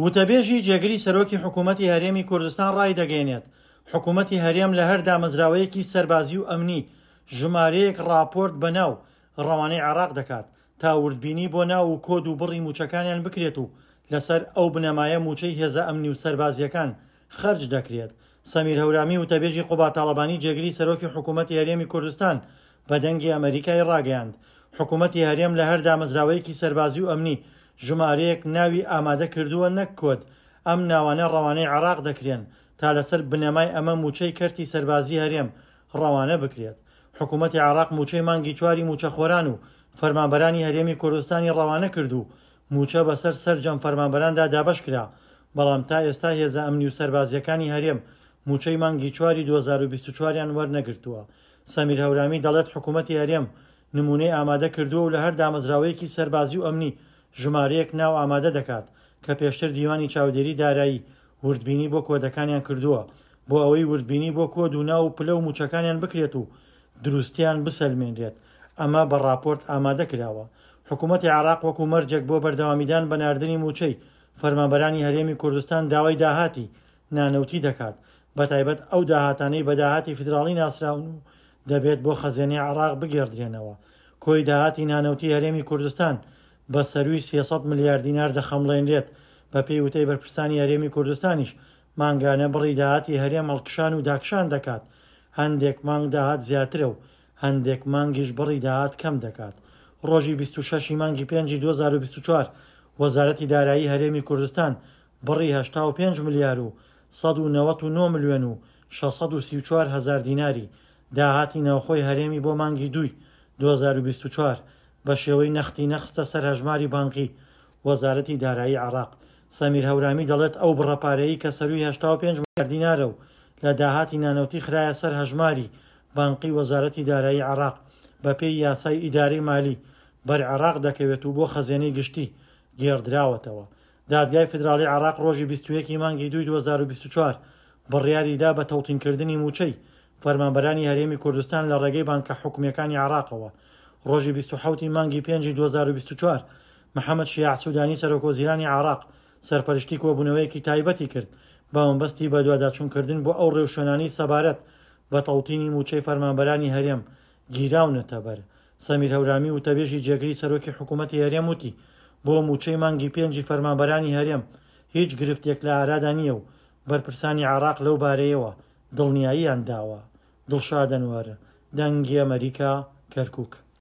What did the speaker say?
وتەبێژی جێگری سەرۆکی حکوومەتی هەرێمی کوردستان ڕایدەگەیەنێت، حکوومەتی هەرێم لە هەر دامەزراوەیەکی سەربازی و ئەمنی ژمارەیەک ڕاپۆرت بە ناو ڕەوانەی عێراق دەکات تا وردبینی بۆ ناو و کۆد و بڕی مووچەکانیان بکرێت و لەسەر ئەو بنەمایە مووچەی هێزە ئەمنی و سەربازییەکان خەرج دەکرێت. سەمیر هەورامی وتەبێژی قوباد تاڵەبانی جێگری سەرۆکی حکوومەتی هەرێمی کوردستان بە دەنگی ئەمەریکای ڕاگەیاند، حکوومەتی هەرێم لە هەر دامەزراوەیەکی سەربازی و ئەمنی ژمارەیەک ناوی ئامادە کردووە نەک کۆد، ئەم ناوانە ڕەوانەی عێراق دەکرێن تا لەسەر بنەمای ئەمە مووچەی کەرتی سەربازی هەرێم ڕەوانە بکرێت. حکوومەتی عێراق مووچەی مانگی چواری مووچەخۆران و فەرمانبەرانی هەرێمی کوردستانی ڕەوانە کرد و مووچە بەسەر سەرجەم فەرمانبەراندا دابەشکرا، بەڵام تا ئێستا هێزە ئەمنی و سەربازییەکانی هەرێم مووچەی مانگی چواری 2024 یان وەرنەگرتووە. سەمیر هەورامی دەڵێت حکوومەتی هەرێم نموونەی ئامادە کردووە و لە هەر دامەزراوەیەکی سەربازی و ئەمنی ژمارەیەک ناو ئامادە دەکات کە پێشتر دیوانی چاودێری دارایی وردبینی بۆ کۆدەکانیان کردووە بۆ ئەوەی وردبینی بۆ کۆد و ناو و پلە و مووچەکانیان بکرێت و دروستیان بسەلمێنرێت ئەمە بە ڕاپۆرت ئامادە کراوە. حکوومەتی عێراق وەکو مەرجێک بۆ بەردەوامیدان بە ناردنی مووچەی فەرمانبەرانی هەرێمی کوردستان داوای داهاتی نانەوتی دەکات، بەتایبەت ئەو داهاتانەی بە داهاتی فیدراڵی ناسراون و دەبێت بۆ خەزێنەی عێراق بگێڕدرێنەوە. کۆی داهاتی نانەوتی هەرێمی کوردستان بە سەرووی 300 ملیار دینار دەخەمڵێنرێت، بەپێی وتەی بەرپرسانی هەرێمی کوردستانیش مانگانە بڕی داهاتی هەرێم هەڵکشان و داکشان دەکات، هەندێک مانگ داهات زیاترە و هەندێک مانگیش بڕی داهات کەم دەکات. ڕۆژی 26 ی مانگی پێنجی 2024 وەزارەتی دارایی هەرێمی کوردستان بڕی 85 ملیار و 199 ملیۆن و 634 هەزار دیناری داهاتی ناوخۆی هەرێمی بۆ مانگی دووی 2024 بە شێوەی نەختی نەخستە سەر هەژماری بانقی وەزارەتی دارایی عێراق. سەمیر هەورامی دەڵێت ئەو بڕە پارەیەی کە سەرووی 85 ملیار دینارە و لە داهاتی نانەوتی خرایە سەر هەژماری بانقی وەزارەتی دارایی عێراق بەپێی یاسای ئیدارەی مالی بەر عێراق دەکەوێت و بۆ خەزێنەی گشتی گێڕدراوەتەوە. دادگای فیدراڵی عێراق ڕۆژی 21 ی مانگی دووی 2024 بڕیاری دا بە تەوتینکردنی مووچەی فەرمانبەرانی هەرێمی کوردستان لە ڕێگەی بانکە حکومییەکانی عێراقەوە. ڕۆژی 27 ی مانگی پێنجی 2024 محەمەد شیاع سودانی سەرۆکوەزیرانی عێراق سەرپەرشتی کۆبوونەوەیەکی تایبەتی کرد بە مەبەستی بەدواداچوونکردن بۆ ئەو ڕێوشوێنانەی سەبارەت بە تەوتینی مووچەی فەرمانبەرانی هەرێم گیراونەتەبەر. سەمیر هەورامی وتەبێژی جێگری سەرۆکی حکوومەتی هەرێم وتی، بۆ مووچەی مانگی پێنجی فەرمانبەرانی هەرێم هیچ گرفتێک لە ئارادا نییە و بەرپرسانی عێراق لەو بارەیەوە دڵنیاییان داوە. دڵشاد ئەنوەر، دەنگی ئەمەریکا، کەرکوک.